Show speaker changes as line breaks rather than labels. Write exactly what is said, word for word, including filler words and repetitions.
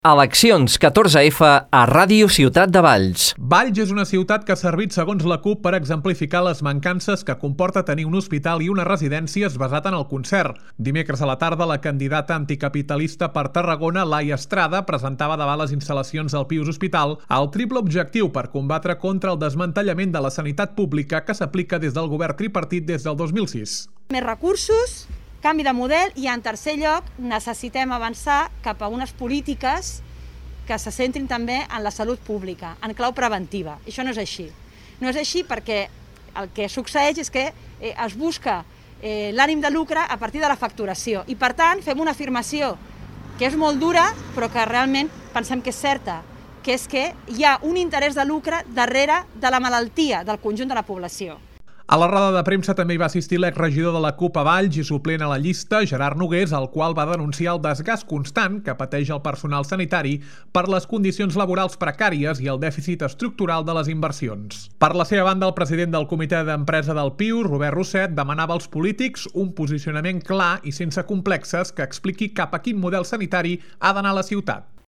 Eleccions catorze efa a Ràdio Ciutat de Valls.
Valls és una ciutat que ha servit, segons la CUP, per exemplificar les mancances que comporta tenir un hospital i unes residències basat en el concert. Dimecres a la tarda, la candidata anticapitalista per Tarragona, Laia Estrada, presentava davant les instal·lacions del Pius Hospital el triple objectiu per combatre contra el desmantellament de la sanitat pública que s'aplica des del govern tripartit des del dos mil sis.
Més recursos, canvi de model i, en tercer lloc, necessitem avançar cap a unes polítiques que se centrin també en la salut pública, en clau preventiva. I això no és així. No és així perquè el que succeeix és que eh, es busca eh, l'ànim de lucre a partir de la facturació i, per tant, fem una afirmació que és molt dura però que realment pensem que és certa, que és que hi ha un interès de lucre darrere de la malaltia del conjunt de la població.
A la roda de premsa també hi va assistir l'exregidor de la CUP a Valls i suplent a la llista, Gerard Nogués, el qual va denunciar el desgast constant que pateix el personal sanitari per les condicions laborals precàries i el dèficit estructural de les inversions. Per la seva banda, el president del comitè d'empresa del Pius, Robert Rosset, demanava als polítics un posicionament clar i sense complexes que expliqui cap a quin model sanitari ha d'anar la ciutat.